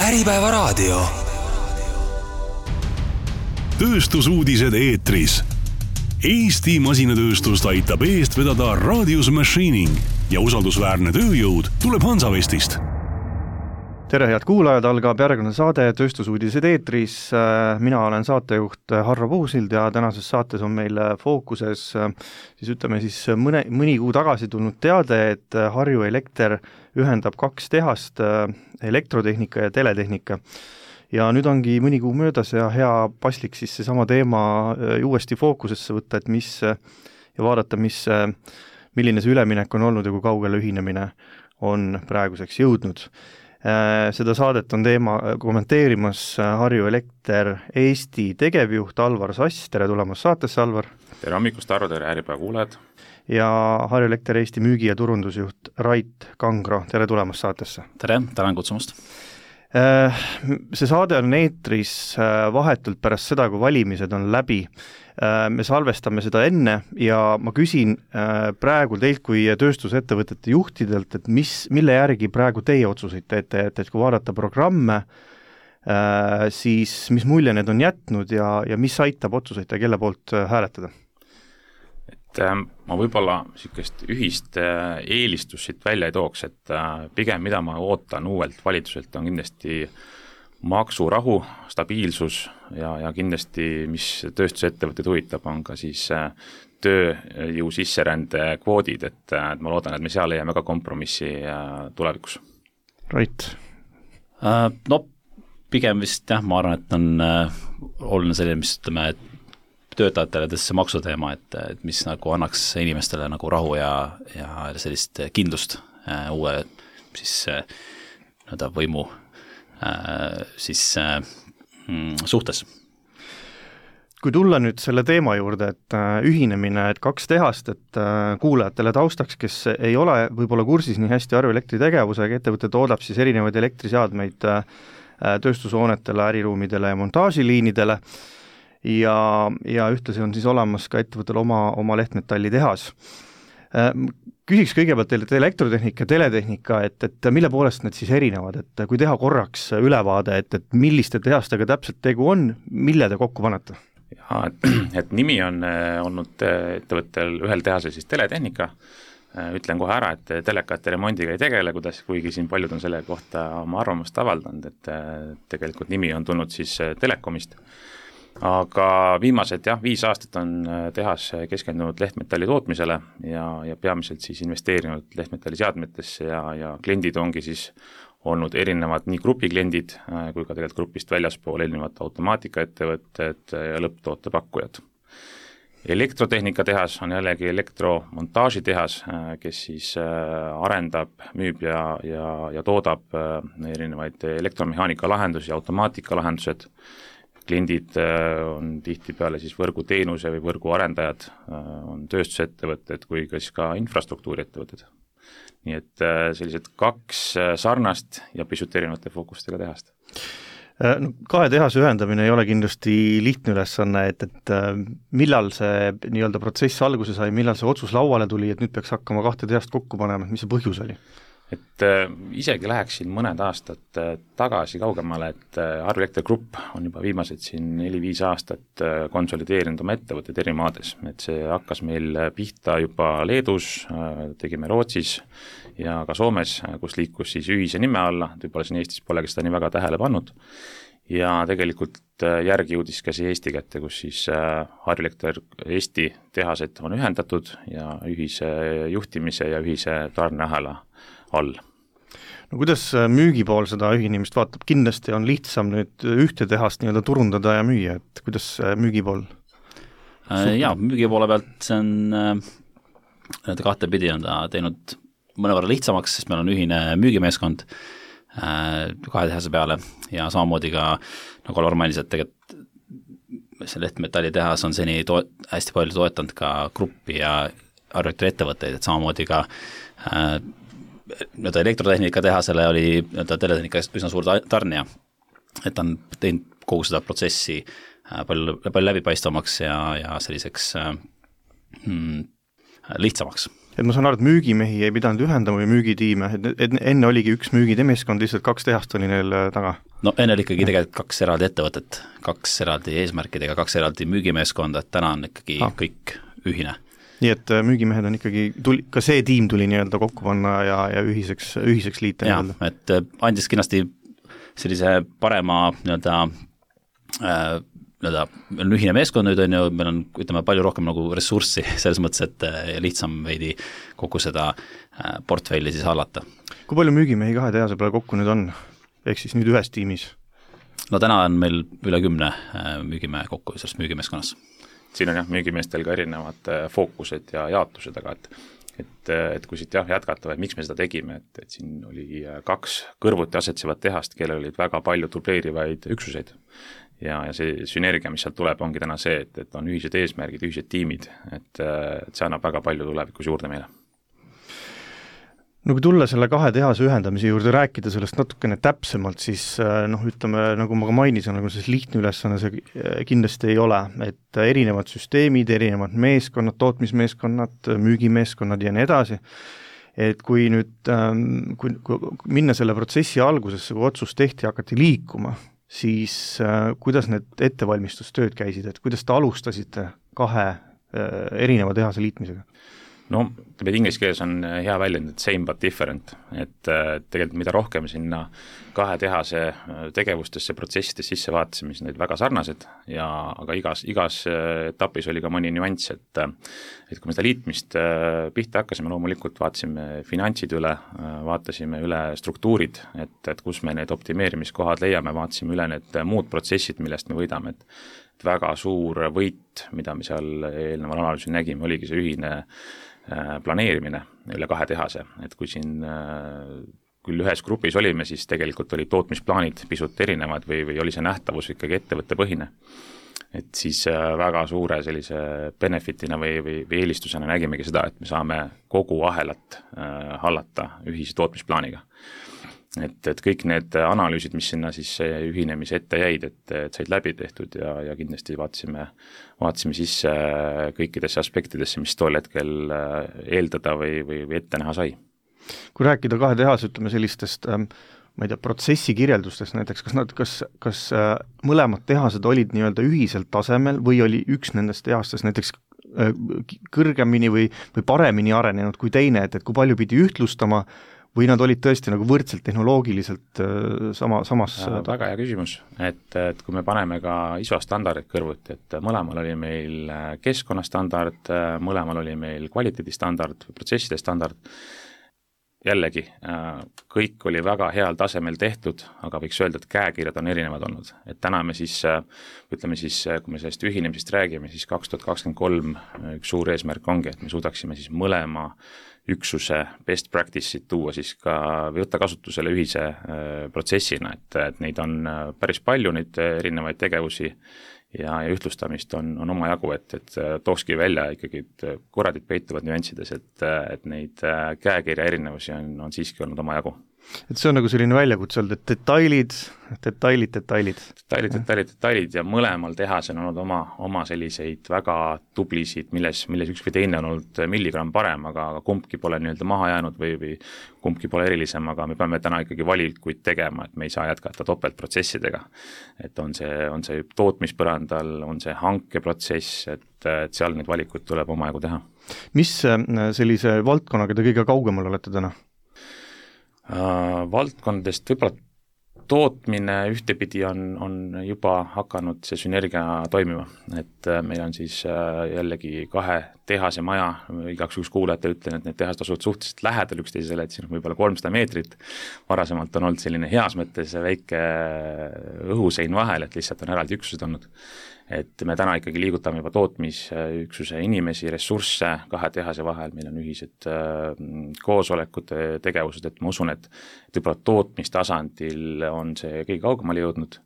Äripäevaraadio. Tööstusuudised eetris. Eesti masinatööstust aitab eest vedada Radius Machining ja usaldusväärne tööjõud tuleb Hansavestist. Tere, head kuulajad, algab järgmine saade Tööstusuudised eetris. Mina olen saatejuht Harro Puusild ja tänases saates on meil fookuses mõni kuu tagasi tulnud teade, et Harju Elekter ühendab 2 tehast, elektrotehnika ja teletehnika. Ja nüüd ongi mõni kuu möödas ja hea paslik siis seesama teema uuesti fookusesse võtta, et ja vaadata, milline see üleminek on olnud ja kui kaugele ühinemine on praeguseks jõudnud. Seda saadet on teema kommenteerimas Harju Elekter Eesti tegevjuht Alvar Sass. Tere tulemast saatesse, Alvar. Tere hommikust, Harro, tere Äripäeva kuulajad. Ja Harju Elekter Eesti müügi- ja turundusjuht Rait Kangro. Tere tulemast saatesse. Tere, tänan kutsumast. See saade on eetris vahetult pärast seda, kui valimised on läbi. Me salvestame seda enne ja ma küsin praegu teilt kui tööstusettevõtete juhtidelt, et mille järgi praegu teie otsuseid teete, et kui vaadata programme, siis mis mulje need on jätnud ja mis aitab otsuseid ja kelle poolt hääletada? Ma võib-olla niisugust ühist eelistust siit välja ei tooks, et pigem mida ma ootan uuelt valitsuselt on kindlasti maksurahu, stabiilsus ja kindlasti, mis tööstusettevõtteid huvitab, on ka siis tööjõu sisserände kvoodid, et ma loodan, et me seal leiame ka kompromissi tulevikus. Rait? No pigem vist jah, ma arvan, et on oluline selline, mis ütleme, et töötajatele see maksuteema, et mis nagu annaks inimestele nagu rahu ja sellist kindlust uue siis võimu siis suhtes. Kui tulla nüüd selle teema juurde, et ühinemine, et 2 tehast, et kuulajatele taustaks, kes ei ole võib-olla kursis nii hästi Harju Elektri tegevusega, ettevõte toodab siis erinevaid elektriseadmeid tööstushoonetele, äriruumidele ja montaažiliinidele ja ühtlasi on siis olemas ka ettevõttel oma lehtmetalli tehas. Küsiks kõigepealt teilt elektrotehnika ja teletehnika, et mille poolest need siis erinevad, et kui teha korraks ülevaade, et milliste tehastega täpselt tegu on, mille te kokku panete? Ja, et nimi on olnud ettevõttel ühel tehasel siis teletehnika. Ütlen kohe ära, et telekate remondiga ei tegele, kuigi siin paljud on selle kohta oma arvamust avaldanud, et tegelikult nimi on tulnud siis Telekomist. Aga viimased 5 aastat on tehas keskendunud lehtmetalli tootmisele ja peamiselt siis investeerinud lehtmetalli seadmetesse ja kliendid ongi siis olnud erinevad nii grupikliendid kui ka tegelikult grupist väljaspool erinevad automaatikaettevõtted ja lõpptootepakkujad. Elektrotehnika tehas on jällegi elektromontaažitehas, kes siis arendab, müüb ja toodab erinevaid elektromehaanika lahendusi ja automaatika lahendused. Kliendid on tihtipeale siis võrguteenuse või võrguarendajad, on tööstusettevõtted kui ka infrastruktuuriettevõtted. Nii et sellised 2 sarnast ja pisut erinevate fookustega tehast. 2 tehase ühendamine ei ole kindlasti lihtne ülesanne, et millal see nii-öelda protsess alguse sai, millal see otsus lauale tuli, et nüüd peaks hakkama 2 tehast kokku panema, mis see põhjus oli? Et isegi läheksin mõned aastad tagasi kaugemale, et Harju Elekter Grupp on juba viimased siin 4-5 aastat konsolideerinud oma ettevõtted eri maades, et see hakkas meil pihta juba Leedus, tegime Rootsis ja ka Soomes, kus liikus siis ühise nime alla, võib-olla siin Eestis polegi seda nii väga tähele pannud ja tegelikult järgi jõudis ka see Eesti kätte, kus siis Harju Elekter Eesti tehased on ühendatud ja ühise juhtimise ja ühise tarneahela all. No kuidas müügipool seda ühinemist vaatab? Kindlasti on lihtsam nüüd ühte tehast nii-öelda turundada ja müüa, et kuidas müügipool? Müügipoole pealt see on 2 pidi on ta teinud mõnevõrra lihtsamaks, sest meil on ühine müügimeeskond 2 tehase peale ja samamoodi ka nagu Alvar mainis, et tegelikult see lehtmetalli tehas on seni hästi palju toetanud ka gruppi ja Harju Elektri ettevõtteid, et samamoodi ka elektrotehnika tehasele oli teletehnika üsna suur tarnija, et on teinud kogu seda protsessi palju läbipaistvamaks ja selliseks lihtsamaks. Et ma saan aru, et müügimehi ei pidanud ühendama või müügitiime, et enne oligi üks müügimeeskond, lihtsalt 2 tehast oli neil taga? No enne oli ikkagi tegelikult 2 eraldi ettevõtet, 2 eraldi eesmärkidega, 2 eraldi müügimeeskonda, et täna on ikkagi kõik ühine. Nii et müügimehed on ikkagi, ka see tiim tuli nii-öelda kokku panna ja ühiseks liita? Jah, et andis kindlasti sellise parema nii-öelda meil on ühine meeskond nüüd, on ju, meil on, ütleme, palju rohkem nagu ressurssi selles mõttes, et lihtsam veidi kogu seda portfelli siis hallata. Kui palju müügimehi 2 tehase peale kokku nüüd on, ehk siis nüüd ühes tiimis? No täna on meil üle 10 müügimehe kokku selles müügimeeskonnas. Siin on jah, müügimeestel ka erinevad fookused ja jaotused, aga et kui siit jätkata, või miks me seda tegime, et siin oli 2 kõrvuti asetsevat tehast, kellel olid väga palju dubleerivaid üksuseid. Ja see sünergia, mis sealt tuleb, ongi täna see, et on ühised eesmärgid, ühised tiimid, et see annab väga palju tulevikus juurde meile. No kui tulla selle 2 tehase ühendamise juurde, rääkida sellest natukene täpsemalt, siis ütleme, nagu ma ka mainisin, nagu see lihtne ülesanne see kindlasti ei ole, et erinevad süsteemid, erinevad meeskonnad, tootmismeeskonnad, müügimeeskonnad ja nii edasi, et kui nüüd kui minna selle protsessi algusesse, kui otsus tehti, hakati liikuma, siis kuidas need ettevalmistustööd käisid, et kuidas te alustasite 2 erineva tehase liitmisega? No, inglise keeles on hea väljend, et same but different, et tegelikult mida rohkem sinna 2 tehase tegevustesse, protsessides sisse vaatasime, siis need väga sarnased, aga igas etapis oli ka mõni nüanss, et kui me seda liitmist pihta hakkasime, loomulikult vaatasime finantsid üle, vaatasime üle struktuurid, et kus me need optimeerimiskohad leiame, vaatasime üle need muud protsessid, millest me võidame, et väga suur võit, mida me seal eelneval analüüsil nägime, oligi see ühine planeerimine üle 2 tehase, et kui siin küll ühes grupis olime, siis tegelikult olid tootmisplaanid pisut erinevad või oli see nähtavus ikkagi ettevõttepõhine. Et siis väga suure sellise benefitina või eelistusena nägimegi seda, et me saame kogu ahelat hallata ühise tootmisplaaniga. Et kõik need analüüsid, mis sinna siis ühinemise ette jäid, et said läbi tehtud ja kindlasti vaatasime sisse kõikidesse aspektidesse, mis tol hetkel eeldada või ette näha sai. Kui rääkida 2 tehas, ütleme sellistest ma ei tea, protsessi kirjeldustest näiteks, kas mõlemad tehased olid nii-öelda ühiselt tasemel või oli üks nendest tehastes näiteks kõrgemini või paremini arenenud kui teine, et kui palju pidi ühtlustama või nad olid tõesti nagu võrdselt tehnoloogiliselt samas? Väga hea küsimus, et kui me paneme ka ISO standardid kõrvuti, et mõlemal oli meil keskkonnastandard, mõlemal oli meil kvaliteedistandard, protsesside standard, jällegi, kõik oli väga heal tasemel tehtud, aga võiks öelda, et käekirjad on erinevad olnud. Et täna me siis, ütleme siis, kui me sellest ühinemisest räägime, siis 2023 üks suur eesmärk ongi, et me suudaksime siis mõlema üksuse best practice'id tuua siis ka või võtta kasutusele ühise protsessina, et neid on päris palju, neid erinevaid tegevusi ja ühtlustamist on omajagu, et tookski välja ikkagi, et korradid peituvad nüanssides, et neid käekirja erinevusi on siiski olnud omajagu. Et see on nagu selline väljakutse olnud, et detailid ja mõlemal tehas on olnud oma selliseid väga tublisid, milles üks või teine on olnud milligramm parem, aga kumbki pole nii-öelda maha jäänud või kumbki pole erilisem, aga me peame täna ikkagi valikuid tegema, et me ei saa jätkata topeltprotsessidega. Et on see tootmispõrandal, on see hankeprotsess, et seal neid valikuid tuleb omajagu teha. Mis sellise valdkonnaga te kõige kaugemal olete täna? Valdkondadest võib-olla tootmine ühtepidi on juba hakanud see sünergia toimima, et meil on siis jällegi 2 tehase maja, igaks juhuks kuulajate ütlen, et need tehased asuvad suhteliselt lähedal üksteisele, et siin on võib-olla 300 meetrit, varasemalt on olnud selline heas mõttes väike õhusein vahel, et lihtsalt on eraldi üksused olnud. Et me täna ikkagi liigutame juba tootmisüksuse inimesi, ressursse 2 tehase vahel, meil on ühised koosolekud, tegevused, et ma usun, et võib-olla tootmistasandil on see kõige kaugemale jõudnud.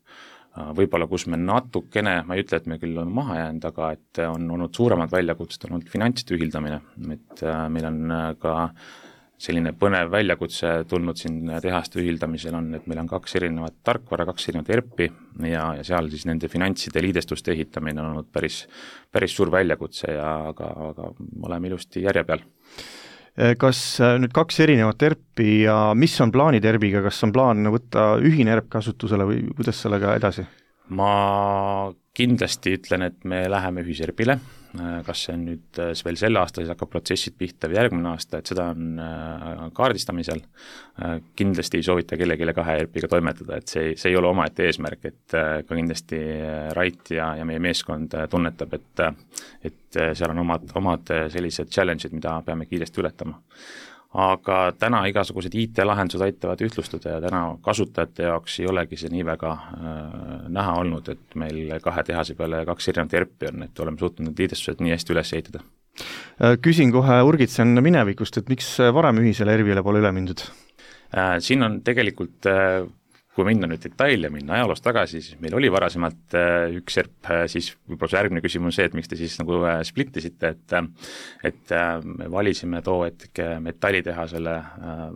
Võib-olla kus me natukene, ma ei ütle, et me küll on maha jäänud, aga et on olnud suuremad väljakutsed, on olnud finantside ühildamine, et meil on ka selline põnev väljakutse tulnud siin tehaste ühildamisel on, et meil on 2 erinevat tarkvara, 2 erinevat ERP-i ja seal siis nende finantside liidestuste ehitamine on olnud päris suur väljakutse, aga oleme ilusti järje peal. Kas nüüd 2 erinevat ERP-i ja mis on plaanid ERP-iga, kas on plaan võtta ühine ERP kasutusele või kuidas sellega edasi? Ma kindlasti ütlen, et me läheme ühiserpile, kas see on nüüd veel selle aasta, siis hakkab protsessid pihta või järgmine aasta, et seda on kaardistamisel. Kindlasti ei soovita kellelegi 2 ERP-iga toimetada, et see ei ole omaette eesmärk, et ka kindlasti Rait ja meie meeskond tunnetab, et seal on omad sellised challenge'id, mida peame kiiresti ületama. Aga täna igasugused IT-lahendused aitavad ühtlustada ja täna kasutajate jaoks ei olegi see nii väga näha olnud, et meil 2 tehase peale 2 erinevat ERP-i on, et oleme suutnud need liidestused nii hästi üles ehitada. Küsin kohe urgitsen minevikust, et miks varem ühisele ERP-ile pole üle mindud? Siin on tegelikult kui minna nüüd detail ja minna ajaloos tagasi, siis meil oli varasemalt üks ERP, siis võib-olla see järgmine küsimus on see, et miks te siis nagu splittisite, et me valisime too hetke metallitehasele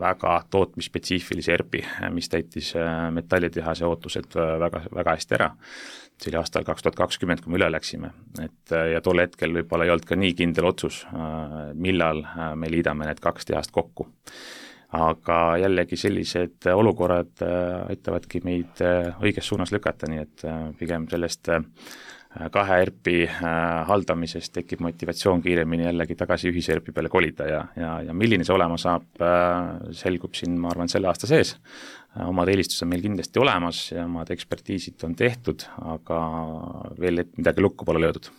väga tootmisspetsiifilise ERP-i, mis täitis metallitehase ootused väga, väga hästi ära. See oli aastal 2020, kui me üle läksime, ja tol hetkel võib-olla ei olnud ka nii kindel otsus, millal me liidame need 2 tehast kokku. Aga jällegi sellised olukorrad aitavadki meid õiges suunas lükata, nii et pigem sellest 2 ERP-i haldamisest tekib motivatsioon kiiremini jällegi tagasi ühise ERP-i peale kolida ja milline see olema saab, selgub siin, ma arvan, selle aasta sees. Omad eelistused on meil kindlasti olemas ja omad ekspertiisid on tehtud, aga veel midagi lukku pole löödud.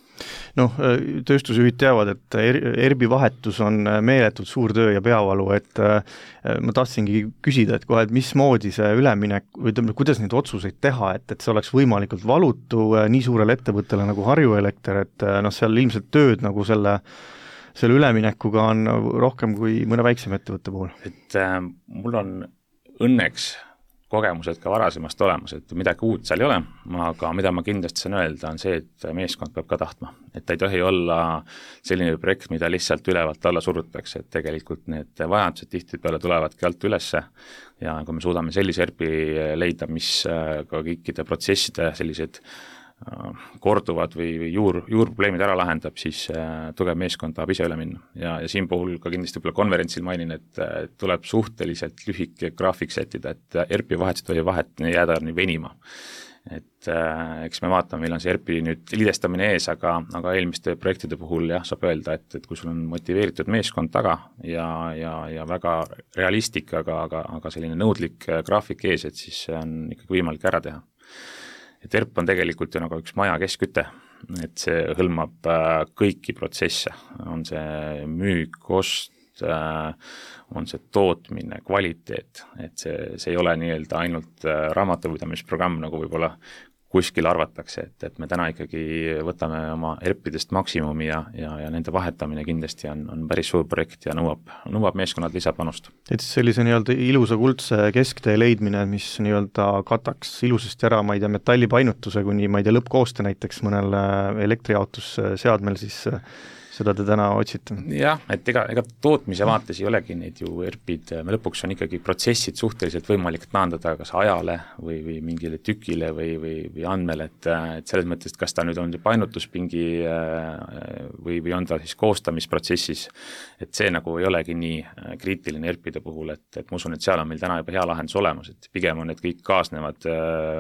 Tööstusjuhid teavad, et ERP-i vahetus on meeletult suur töö ja peavalu, et ma tahtsingi küsida, et mismoodi see üleminek, või kuidas neid otsuseid teha, et see oleks võimalikult valutu nii suurele ettevõttele nagu Harju Elekter, et seal ilmselt tööd nagu selle üleminekuga on rohkem kui mõne väiksema ettevõtte puhul. Et mul on õnneks kogemused ka varasemast olemas, et midagi uut seal ei ole, aga mida ma kindlasti saan öelda, on see, et meeskond peab ka tahtma. Et ei tohi olla selline projekt, mida lihtsalt ülevalt alla surutakse, et tegelikult need vajadused tihtipeale tulevadki alt ülesse ja kui me suudame sellise ERP-i leida, mis ka kõikide protsesside sellised korduvad või juurprobleemid ära lahendab, siis tugev meeskond tahab ise üle minna. Ja siin puhul ka kindlasti konverentsil mainin, et tuleb suhteliselt lühike graafik sättida, et ERP-i vahetust või vahet jääda nii venima. Et eks me vaatame, meil on see ERP-i nüüd liidestamine ees, aga eelmiste projektide puhul saab öelda, et kui sul on motiveeritud meeskond taga ja väga realistlik, aga selline nõudlik graafik ees, et siis on ikkagi võimalik ära teha. Et ERP on tegelikult ju nagu üks maja kesküte, et see hõlmab kõiki protsesse, on see müük, ost, on see tootmine, kvaliteet, et see ei ole nii-öelda ainult raamatupidamisprogramm, nagu võib-olla kuskil arvatakse, et me täna ikkagi võtame oma ERP-idest maksimumi ja nende vahetamine kindlasti on päris suur projekt ja nõuab meeskonnad lisapanust. Et sellise nii-öelda ilusa kuldse kesktee leidmine, mis nii-öelda kataks ilusasti ära, ma ei tea, metallipainutuse kuni, ma ei tea, lõppkooste näiteks mõnel elektrijaotusseadmel, siis seda te täna otsite? Jah, et ega tootmise vaates ei olegi neid ju ERP-id, me lõpuks on ikkagi protsessid suhteliselt võimalik taandada kas ajale või mingile tükile või andmele, et selles mõttes, kas ta nüüd on painutuspingi või on ta siis koostamisprotsessis, et see nagu ei olegi nii kriitiline ERP-ide puhul, et ma usun, et seal on meil täna juba hea lahendus olemas, et pigem on need kõik kaasnevad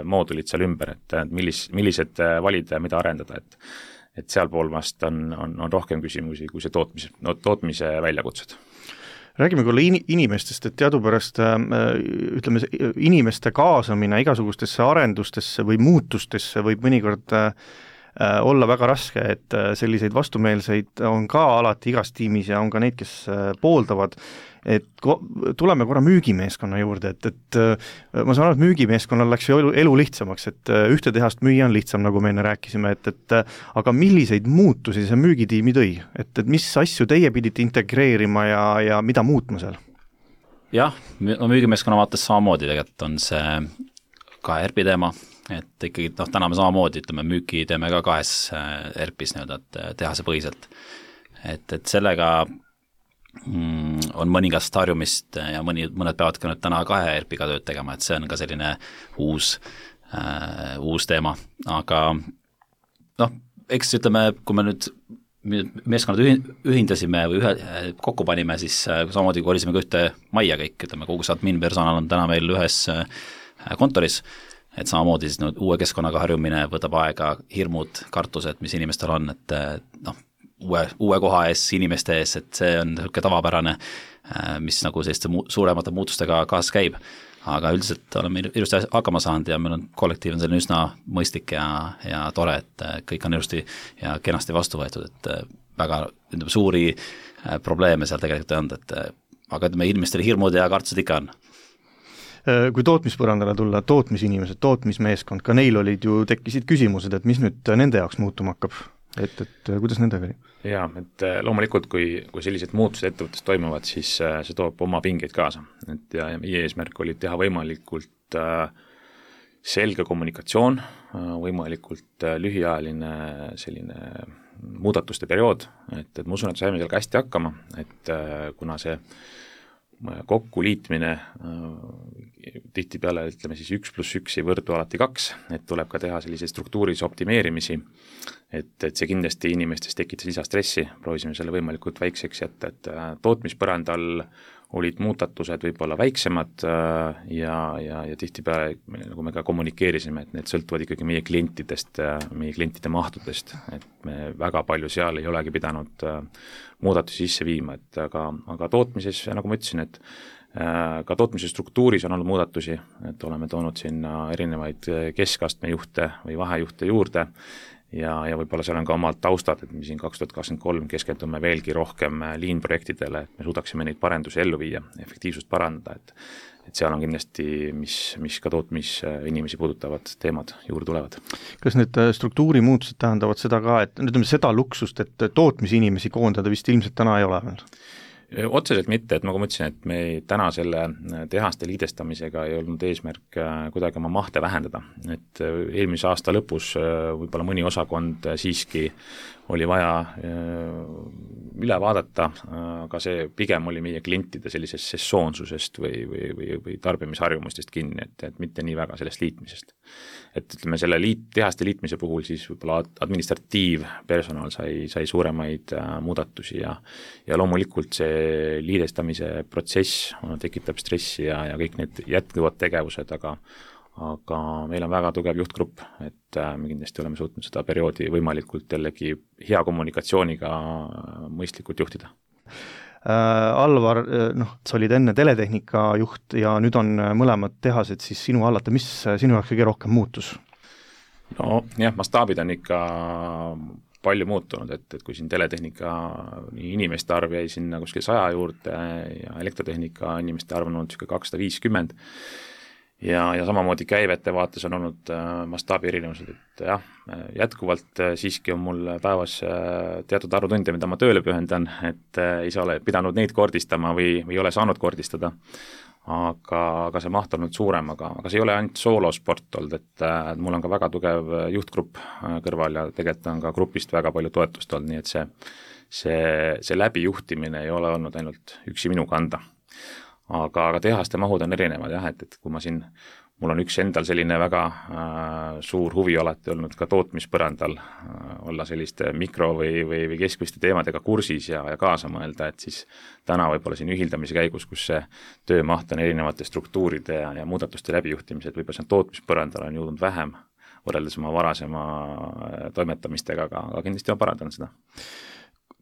moodulid seal ümber, et millised valida ja mida arendada, et sealpool vast on rohkem küsimusi kui see tootmise väljakutsed. Räägime küll inimestest, et teadupärast ütleme, inimeste kaasamine igasugustesse arendustesse või muutustesse võib mõnikord olla väga raske, et selliseid vastumeelseid on ka alati igas tiimis ja on ka neid, kes pooldavad. Et tuleme korra müügimeeskonna juurde, et ma saan aru, et müügimeeskonnal läks ju elu lihtsamaks, et ühte tehast müüa on lihtsam, nagu me enne rääkisime, et aga milliseid muutusi see müügitiimi tõi? Et mis asju teie pidite integreerima ja mida muutma seal? Jah, müügimeeskonna vaates samamoodi tegelikult on see ka ERP-i teema, et ikkagi täna me samamoodi, ütleme, müüki teeme ka 2 ERP-is nii-öelda, et tehase põhiselt. Et sellega on mõningast harjumist ja mõned peavad ka nüüd täna 2 ERP-iga tööd tegema, et see on ka selline uus teema, aga eks ütleme, kui me nüüd meeskonnad ühindasime või kokku panime, siis samamoodi kolisime ka ühte majja kõik, ütleme, kogu see admin personal on täna meil ühes kontoris, et samamoodi siis uue keskkonnaga harjumine võtab aega, hirmud, kartused, mis inimestel on, et noh, uue koha ees, inimeste ees, et see on niisugune tavapärane, mis nagu selliste suuremate muutustega kaasas käib. Aga üldiselt oleme ilusti hakkama saanud ja meil on kollektiiv on selline üsna mõistlik ja tore, et kõik on ilusti ja kenasti vastu võetud, et väga suuri probleeme seal tegelikult ei olnud, aga ütleme, inimestel hirmud ja kartused ikka on. Kui tootmispõrandale tulla, tootmisinimesed, tootmismeeskond, ka neil tekkisid küsimused, et mis nüüd nende jaoks muutuma hakkab, et kuidas nendega oli? Jaa, et loomulikult, kui sellised muutused ettevõttes toimuvad, siis see toob oma pingeid kaasa. Ja meie eesmärk oli teha võimalikult selge kommunikatsioon, võimalikult lühiajaline selline muudatuste periood, et ma usun, et saime seal ka hästi hakkama, et kuna see kokkuliitmine tihtipeale, ütleme siis 1+1 ei võrdu alati 2, et tuleb ka teha selliseid struktuuris optimeerimisi, et see kindlasti inimestes tekitas lisastressi, proovisime selle võimalikult väikseks jätta, et tootmispõrandal olid muudatused võib-olla väiksemad ja tihtipeale, nagu me ka kommunikeerisime, et need sõltuvad ikkagi meie klientidest, meie klientide mahtudest, et me väga palju seal ei olegi pidanud muudatusi sisse viima, et aga tootmises, nagu ma ütlesin, et ka tootmise struktuuris on olnud muudatusi, et oleme toonud sinna erinevaid keskastme juhte või vahejuhte juurde ja võib-olla seal on ka omad taustad, et me siin 2023 keskendume veelgi rohkem lean-projektidele, et me suudaksime neid parendusi ellu viia, efektiivsust parandada, et seal on kindlasti, mis ka tootmisinimesi puudutavad teemad juurde tulevad. Kas need struktuurimuutused tähendavad seda ka, et ütleme seda luksust, et tootmisinimesi koondada vist ilmselt täna ei ole veel? Otseselt mitte, et nagu ma ütlesin, et me täna selle tehaste liidestamisega ei olnud eesmärk kuidagi oma mahte vähendada, et eelmise aasta lõpus võib-olla mõni osakond siiski oli vaja üle vaadata, aga see pigem oli meie klientide sellisest sessoonsusest või tarbimisharjumustest kinni, et mitte nii väga sellest liitmisest. Et ütleme, selle tehaste liitmise puhul siis võib-olla administratiivpersonal sai suuremaid muudatusi ja loomulikult see liidestamise protsess tekitab stressi ja kõik need jätkuvad tegevused, aga meil on väga tugev juhtgrupp, et me kindlasti oleme suutnud seda perioodi võimalikult jällegi hea kommunikatsiooniga mõistlikult juhtida. Alvar, sa olid enne teletehnika juht ja nüüd on mõlemad tehased siis sinu hallata, mis sinu jaoks kõige rohkem muutus? No jah, mastaabid on ikka palju muutunud, et kui siin teletehnika inimeste arv jäi sinna kuskil 100 juurde ja elektrotehnika inimeste arv on olnud 250 ja samamoodi käivete vaates on olnud mastaabi erinevused, et jah, jätkuvalt siiski on mul päevas teatud arvu tunde, mida ma tööle pühendan, et ei saa ole pidanud neid kordistama või ei ole saanud kordistada, aga see maht on olnud suurem, aga see ei ole ainult soolosport olnud, et mul on ka väga tugev juhtgrupp kõrval ja tegelikult on ka grupist väga palju toetust olnud, nii et see läbijuhtimine ei ole olnud ainult üksi minu kanda. Aga tehaste mahud on erinevad jah, et kui mul on üks endal selline väga suur huvi alati olnud ka tootmispõrandal olla selliste mikro- või keskmiste teemadega kursis ja kaasa mõelda, et siis täna võib-olla siin ühildamise käigus, kus see töömaht on erinevate struktuuride ja muudatuste läbijuhtimised, võib-olla see tootmispõrandal on jõudnud vähem võrreldes oma varasema toimetamistega, aga kindlasti on parandanud seda.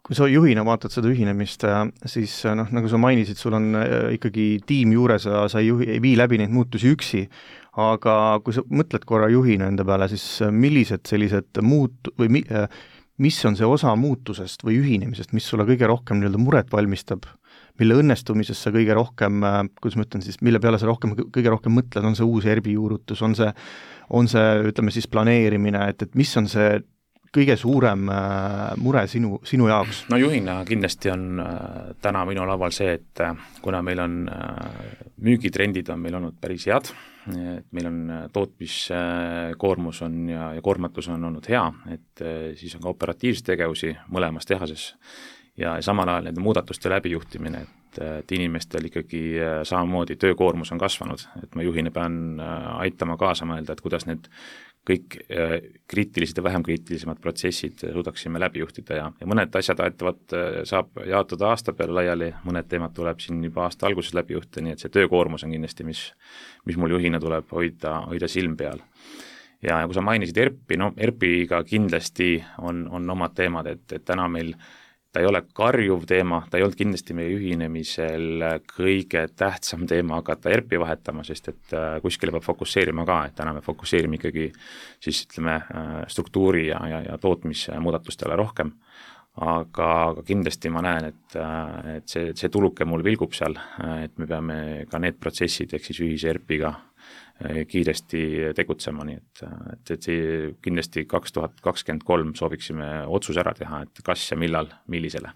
Kui sa juhina vaatad seda ühinemist, siis nagu sa mainisid, sul on ikkagi tiim juures ja sa ei vii läbi neid muutusi üksi, aga kui sa mõtled korra juhina enda peale, siis millised sellised mis on see osa muutusest või ühinemisest, mis sulle kõige rohkem muret valmistab, mille õnnestumises sa kõige rohkem, kuidas ma ütlen siis, mille peale sa kõige rohkem mõtled, on see uus ERBi juurutus, on see ütleme siis planeerimine, et mis on see kõige suurem mure sinu jaoks? No juhina kindlasti on täna minu laual see, et kuna meil on müügitrendid on meil olnud päris head, et meil on tootmiskoormus on ja koormatus on olnud hea, et siis on ka operatiivseid tegevusi mõlemas tehases ja samal ajal nende muudatuste läbijuhtimine, et inimestel ikkagi samamoodi töökoormus on kasvanud, et ma juhina pean aitama kaasa mõelda, et kuidas need kõik kriitilised ja vähem kriitilisemad protsessid suudaksime läbi juhtida ja mõned asjad saab jaotada aasta peale laiali, mõned teemad tuleb siin juba aasta alguses läbi juhtida, nii et see töökoormus on kindlasti, mis mul juhina tuleb hoida silm peal. Ja kui sa mainisid ERP-i, ERP-iga kindlasti on omad teemad, et täna meil ta ei ole karjuv teema, ta ei olnud kindlasti meie ühinemisel kõige tähtsam teema hakata ERP-i vahetama, sest et kuskile peab fokusseerima ka, et täna me fokusseerime ikkagi siis ütleme struktuuri ja tootmismuudatustele rohkem, aga kindlasti ma näen, et see tuluke mul vilgub seal, et me peame ka need protsessid ehk siis ühise ERP-iga kiiresti tegutsema, nii et kindlasti 2023 sooviksime otsus ära teha, et kas ja millal, millisele.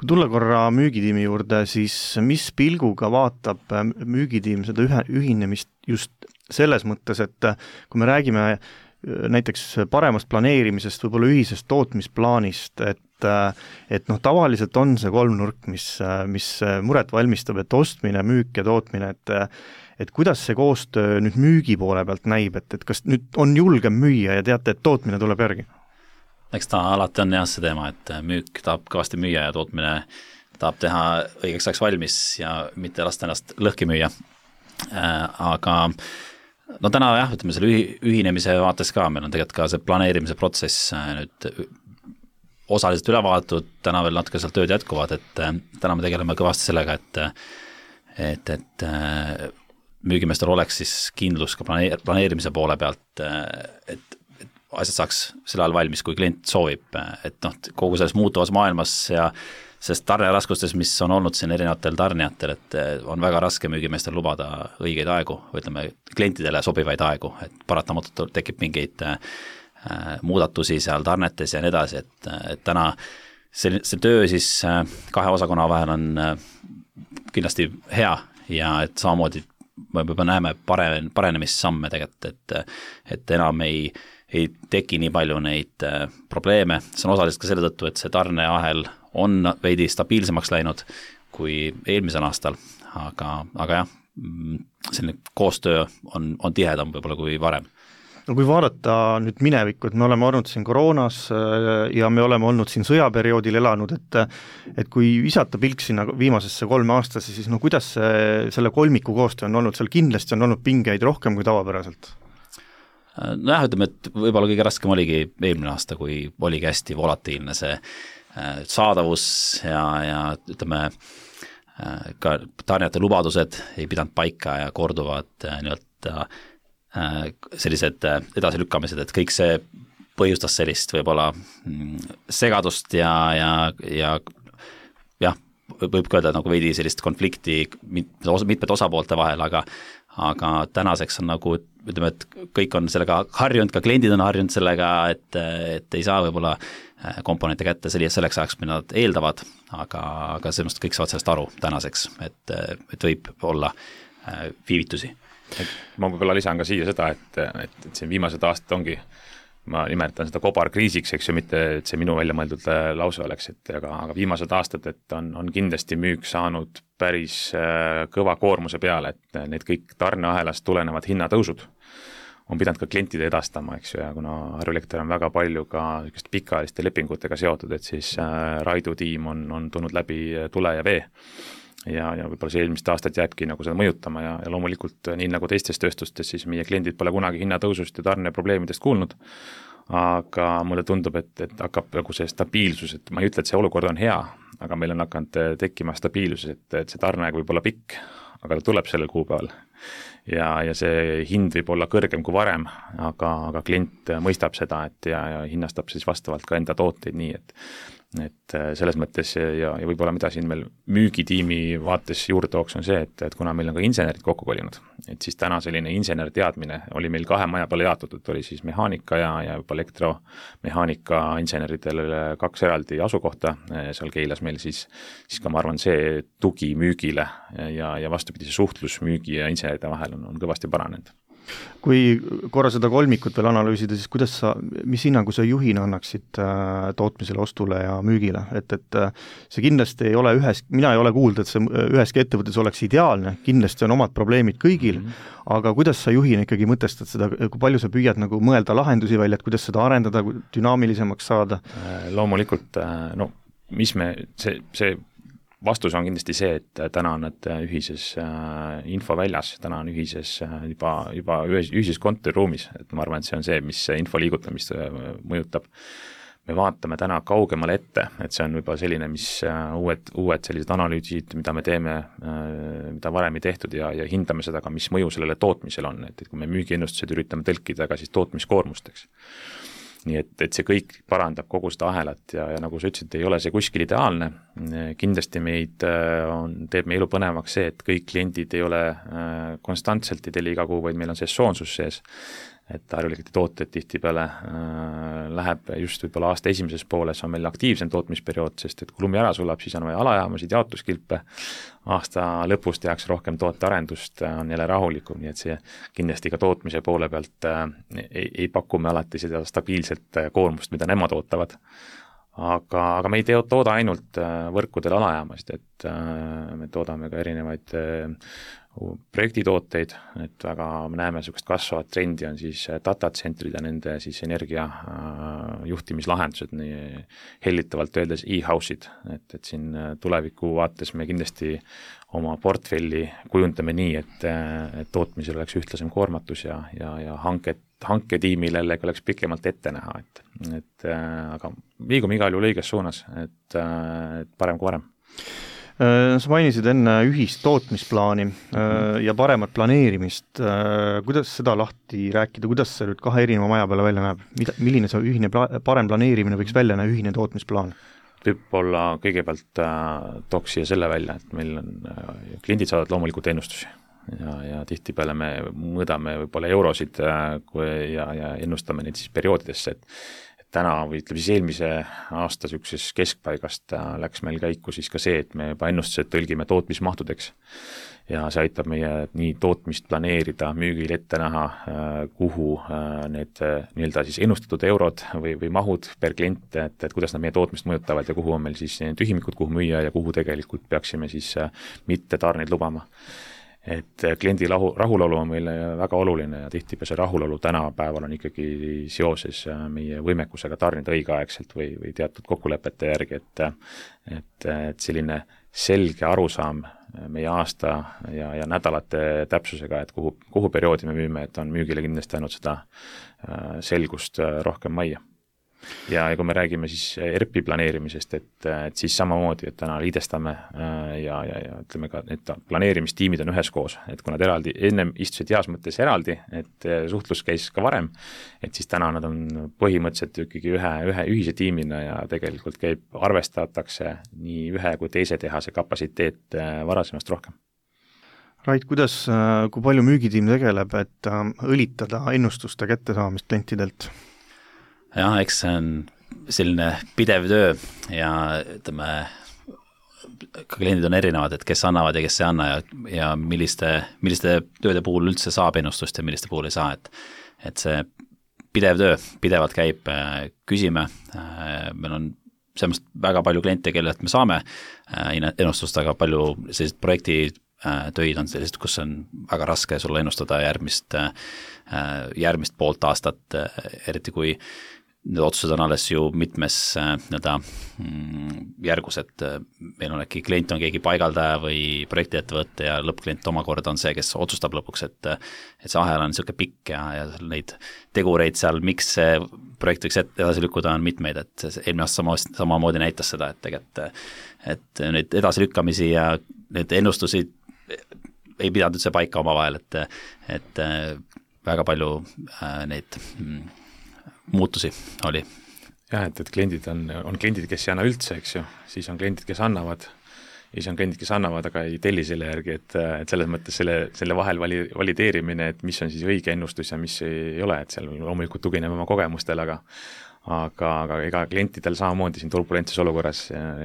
Kui tulla korra müügitiimi juurde, siis mis pilguga vaatab müügitiim seda ühinemist just selles mõttes, et kui me räägime näiteks paremast planeerimisest, võib-olla ühisest tootmisplaanist, et tavaliselt on see kolmnurk, mis muret valmistab, et ostmine, müük ja tootmine, et kuidas see koostöö nüüd müügi poole pealt näib, et kas nüüd on julgem müüa ja teate, et tootmine tuleb järgi? Eks ta alati on jah see teema, et müük tahab kõvasti müüa ja tootmine tahab teha õigeks ajaks valmis ja mitte lasta ennast lõhki müüa. Aga täna jah, ütleme selle ühinemise vaates ka, meil on tegelikult ka see planeerimise protsess nüüd osaliselt üle vaadatud, täna veel natuke seal tööd jätkuvad, et täna me tegeleme kõvasti sellega, et müügimeestel oleks siis kindlus ka planeerimise poole pealt, et asjad saaks selle ajal valmis, kui klient soovib, et kogu selles muutuvas maailmas ja sest tarneraskustes, mis on olnud siin erinevatel tarnijatel, et on väga raske müügimeestel lubada õigeid aegu, või ütleme klientidele sobivaid aegu, et paratamatult tekib mingeid muudatusi seal tarnetes ja nii edasi, et täna see töö siis kahe osakonna vahel on kindlasti hea ja et samamoodi me juba näeme parenemissamme tegelikult, et enam ei teki nii palju neid probleeme, see on osaliselt ka selle tõttu, et see tarneahel on veidi stabiilsemaks läinud kui eelmisel aastal, aga jah, selline koostöö on tihedam võib-olla kui varem. No kui vaadata nüüd minevikku, et me oleme olnud siin koroonas ja me oleme olnud siin sõjaperioodil elanud, et kui visata pilk sinna viimasesse 3 aastasse, siis kuidas selle kolmiku koostöö on olnud, seal kindlasti on olnud pingeid rohkem kui tavapäraselt? Nojah, ütleme, et võib-olla kõige raskem oligi eelmine aasta, kui oligi hästi volatiilne see saadavus ja ütleme, ka tarnijate lubadused ei pidanud paika ja korduvad nii-öelda sellised edasilükkamised, et kõik see põhjustas sellist võib-olla segadust ja võib öelda nagu veidi sellist konflikti mitmete osapoolte vahel, aga tänaseks on nagu, ütleme, et kõik on sellega harjunud, ka kliendid on harjunud sellega, et ei saa võib-olla komponente kätte selleks ajaks, mida nad eeldavad, aga sellest kõik saavad sellest aru tänaseks, et võib olla viivitusi. Ma võib-olla lisan ka siia seda, et see viimased aastad ongi, ma nimetan seda kobarkriisiks, eks ju, mitte et see minu välja mõeldud lause oleks, aga viimased aastad, et on kindlasti müük saanud päris kõva koormuse peale, et need kõik tarneahelast tulenevad hinnatõusud on pidanud ka klientide edastama, eks ju, ja kuna Harju Elekter on väga palju ka pikaajaliste lepingutega seotud, et siis Raidu tiim on tulnud läbi tule ja vee. Ja võib-olla see eelmist aastat jääbki nagu seda mõjutama ja loomulikult nii nagu teistes tööstustes, siis meie kliendid pole kunagi hinnatõusust ja tarneprobleemidest kuulnud, aga mulle tundub, et hakkab nagu see stabiilsus, et ma ei ütle, et see olukord on hea, aga meil on hakanud tekkima stabiilsus, et see tarneaeg võib olla pikk, aga ta tuleb sellel kuupäeval. Ja see hind võib olla kõrgem kui varem, aga klient mõistab seda, ja hinnastab siis vastavalt ka enda tooteid nii, et selles mõttes ja võib-olla mida siin meil müügitiimi vaates juurde tooks on see, et kuna meil on ka insenerid kokku kolinud, et siis täna selline insener teadmine oli meil 2 maja peale jaotatud, oli siis mehaanika ja juba elektromehaanika inseneridel 2 eraldi asukohta seal Keilas meil, siis ka ma arvan, see tugi müügile ja vastupidi see suhtlus müügi ja inseneride vahel on kõvasti paranenud. Kui korra seda kolmikut veel analüüsida, siis mis hinnangu sa juhina annaksid tootmisele, ostule ja müügile, et see kindlasti ei ole mina ei ole kuulda, et see üheski ettevõttes oleks ideaalne, kindlasti on omad probleemid kõigil, aga kuidas sa juhina ikkagi mõtestad seda, kui palju sa püüad nagu mõelda lahendusi välja, et kuidas seda arendada, dünaamilisemaks saada? Loomulikult, see vastus on kindlasti see, et täna on nad ühises infoväljas, täna on ühises juba ühises kontoriruumis, et ma arvan, et see on see, mis info liigutamist mõjutab. Me vaatame täna kaugemale ette, et see on juba selline, mis uued sellised analüüsid, mida me teeme, mida varem ei tehtud ja hindame seda ka, mis mõju sellele tootmisel on, et kui me müügiennustused üritame tõlkida ka siis tootmiskoormusteks. Nii et see kõik parandab kogu seda ahelat ja nagu sa ütlesid, ei ole see kuskil ideaalne. Kindlasti teeb meie elu põnevaks see, et kõik kliendid ei ole konstantselt ei telli iga kuu, vaid meil on sesoonsus sees. Et Harju-Elektrite tooted tihtipeale läheb just võib-olla aasta esimeses pooles on meil aktiivsem tootmisperiood, sest et kui lumi ära sulab, siis on vaja alajaamasid, jaotuskilpe, aasta lõpus tehakse rohkem tootearendust, on jälle rahulikum, nii et see kindlasti ka tootmise poole pealt ei paku me alati seda stabiilset koormust, mida nemad ootavad. Aga me ei tooda ainult võrkudel alajaamasid, et me toodame ka erinevaid projektitooteid, et väga me näeme niisugust kasvavat trendi on siis datacentrid ja nende siis energia juhtimislahendused, nii hellitavalt öeldes e-house'id, et siin tuleviku vaates me kindlasti oma portfelli kujundame nii, et tootmisel oleks ühtlasem koormatus ja hanketiimil jällegi oleks pikemalt ette näha, aga liigume igal juhul õiges suunas, et parem kui varem. Sa mainisid enne ühist tootmisplaani ja paremat planeerimist. Kuidas seda lahti rääkida, kuidas see nüüd kahe erineva maja peale välja näeb? Milline see ühine parem planeerimine võiks välja näha, ühine tootmisplaan? Võib-olla kõigepealt tooks siia selle välja, et meil on kliendid saavad loomulikult ennustusi ja tihtipeale me mõõdame võib-olla eurosid ja ennustame neid siis perioodidesse, et täna või ütleme siis eelmise aasta niisuguses keskpaigast läks meil käiku siis ka see, et me juba ennustused tõlgime tootmismahtudeks ja see aitab meie nii tootmist planeerida, müügil ette näha, kuhu need nii-öelda siis ennustatud eurod või mahud per klient, et kuidas nad meie tootmist mõjutavad ja kuhu on meil siis tühimikud, kuhu müüa ja kuhu tegelikult peaksime siis mitte tarneid lubama. Et kliendi rahulolu on meile väga oluline ja tihtipeale see rahulolu tänapäeval on ikkagi seoses meie võimekusega tarnida õigeaegselt või teatud kokkulepete järgi, et selline selge arusaam meie aasta ja nädalate täpsusega, et kuhu perioodi me müüme, et on müügile kindlasti ainult seda selgust rohkem majja. Ja kui me räägime siis ERP-i planeerimisest, et siis samamoodi, et täna liidestame ja ütleme ka, et planeerimistiimid on üheskoos, et kui nad eraldi, ennem istusid heas mõttes eraldi, et suhtlus käis ka varem, et siis täna nad on põhimõtteliselt ikkagi ühe ühise tiimina ja tegelikult arvestatakse nii ühe kui teise tehase kapatsiteet varasemast rohkem. Rait, kui palju müügitiim tegeleb, et õlitada ennustuste kättesaamist klientidelt? Jah, eks see on selline pidev töö ja ütleme, ka kliendid on erinevad, et kes annavad ja kes ei anna ja milliste tööde puhul üldse saab ennustust ja milliste puhul ei saa, et see pidev töö pidevalt käib, küsime, meil on sellest väga palju kliente, kellelt me saame ennustust, aga palju sellised projektitöid on sellised, kus on väga raske sulle ennustada järgmist poolt aastat, eriti kui need otsused on alles ju mitmes järgus, et meil on äkki klient on keegi paigaldaja või projektiettevõtte ja lõppklient omakorda on see, kes otsustab lõpuks, et see ahel on niisugune pikk ja neid tegureid seal, miks see projekt võiks edasi lükkuda, on mitmeid, et eelmine aasta samamoodi näitas seda, et tegelikult et neid edasilükkamisi ja need ennustusi ei pidanud üldse paika omavahel, et väga palju neid muutusi oli. Jah, et kliendid on kliendid, kes ei anna üldse, eks ju, siis on kliendid, kes annavad, aga ei telli selle järgi, et selles mõttes selle vahel valideerimine, et mis on siis õige ennustus ja mis ei ole, et seal loomulikult tugineme oma kogemustele, aga ega klientidel samamoodi siin turbulentses olukorras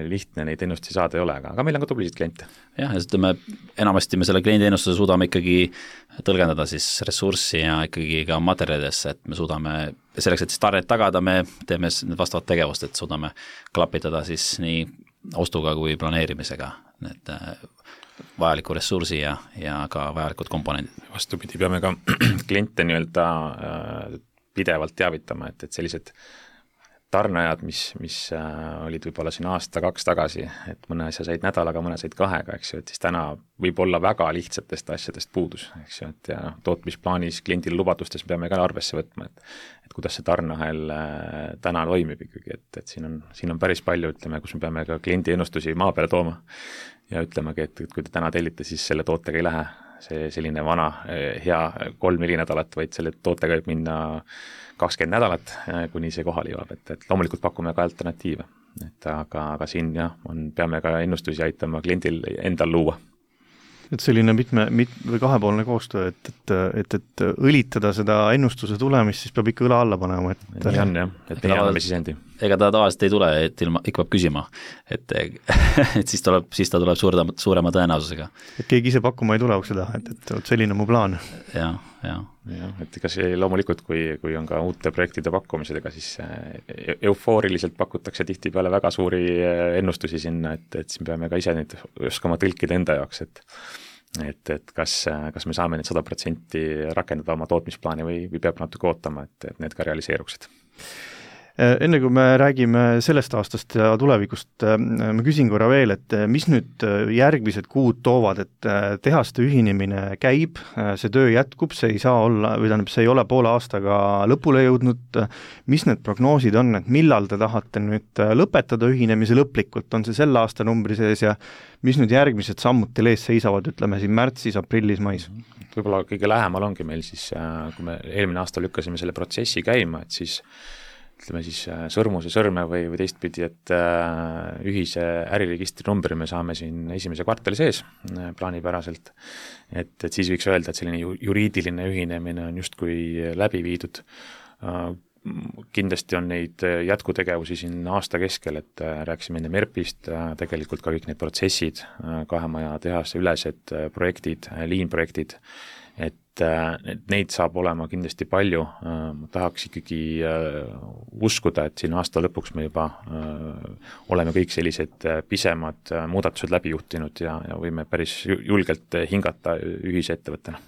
lihtne neid ennustusi saada ei ole, aga meil on ka tublisid kliente. Jah, ja ütleme, enamasti me selle kliendi ennustuse suudame ikkagi tõlgendada siis ressurssi ja ikkagi ka materjalidesse, et me suudame selleks, et siis tarnet tagada, me teeme vastavat tegevust, et suudame klapitada siis nii ostuga kui planeerimisega need vajaliku ressursi ja ka vajalikud komponendid. Vastupidi, peame ka kliente nii-öelda pidevalt teavitama, et sellised tarneajad, mis olid võib-olla siin aasta-2 tagasi, et mõne asja said nädalaga, mõne said 2, eks ju, et siis täna võib olla väga lihtsatest asjadest puudus, eks ju, et ja tootmisplaanis kliendile lubadustes peame ka arvesse võtma, et kuidas see tarneahel täna toimib ikkagi, et siin on päris palju, ütleme, kus me peame ka kliendi ennustusi maa peale tooma ja ütlemegi, et kui te täna tellite, siis selle tootega ei lähe see selline vana hea 3-4 nädalat, vaid selle tootega võib minna 20 nädalat, kuni see kohale jõuab, et loomulikult pakume ka alternatiive. Aga siin peame ka ennustusi aitama kliendil endal luua. Et selline või kahepoolne koostöö, et õlitada seda ennustuse tulemist, siis peab ikka õla alla panema. Nii on jah, et me anname sisendi. Ega ta tavaliselt ei tule, et ikka peab küsima, et siis ta tuleb suurema tõenäosusega. Et keegi ise pakkuma ei tule ukse taha, et selline mu plaan. Jah, et ega see loomulikult, kui on ka uute projektide pakkumised, ega siis eufooriliselt pakutakse tihtipeale väga suuri ennustusi sinna, et siin peame ka ise neid oskama tõlkida enda jaoks, et kas me saame need 100% rakendada oma tootmisplaani või peab natuke ootama, et need ka realiseeruksid. Enne kui me räägime sellest aastast ja tulevikust, ma küsin korra veel, et mis nüüd järgmised kuud toovad, et tehaste ühinemine käib, see töö jätkub, see ei saa olla, või tähendab, see ei ole poole aastaga lõpule jõudnud, mis need prognoosid on, et millal te tahate nüüd lõpetada ühinemise lõplikult, on see selle aasta numbri sees ja mis nüüd järgmised sammud teil ees seisavad, ütleme siin märtsis, aprillis, mais? Võib-olla kõige lähemal ongi meil siis, kui me eelmine aasta lükkasime selle protsessi käima, et siis ütleme siis sõrmuse sõrme või teistpidi, et ühise äriregistri numbri me saame siin esimese kvartali sees plaanipäraselt, et siis võiks öelda, et selline juriidiline ühinemine on justkui läbi viidud. Kindlasti on neid jätkutegevusi siin aasta keskel, et rääkisime enne MERP-ist, tegelikult ka kõik need protsessid, kahemaja tehase ülesed projektid, liinprojektid, et neid saab olema kindlasti palju, ma tahaks ikkagi uskuda, et siin aasta lõpuks me juba oleme kõik sellised pisemad muudatused läbi juhtinud ja võime päris julgelt hingata ühise ettevõttena.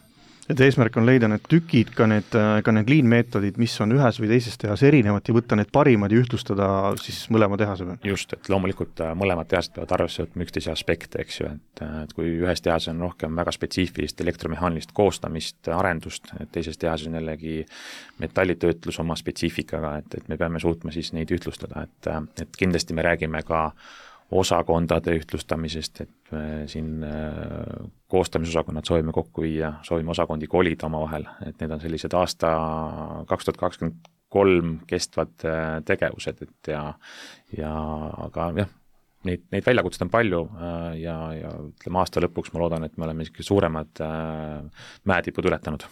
Et eesmärk on leida need tükid, ka need liinmeetodid, mis on ühes või teises tehas erinevad ja võtta need parimad ja ühtlustada siis mõlema tehase peal. Just, et loomulikult mõlemad tehased peavad arvesse võtma üksteise aspekte, eks ju, et kui ühes tehas on rohkem väga spetsiifilist elektromehaanilist koostamist, arendust, et teises tehas on jällegi metallitöötlus oma spetsiifikaga, et me peame suutma siis neid ühtlustada, et kindlasti me räägime ka osakondade ühtlustamisest, et siin koostamisosakonnad soovime kokku viia, soovime osakondi kolida oma vahel, et need on sellised aasta 2023 kestvad tegevused, et aga jah, neid väljakutsed on palju ja ütleme aasta lõpuks ma loodan, et me oleme suuremad mäetipud ületanud.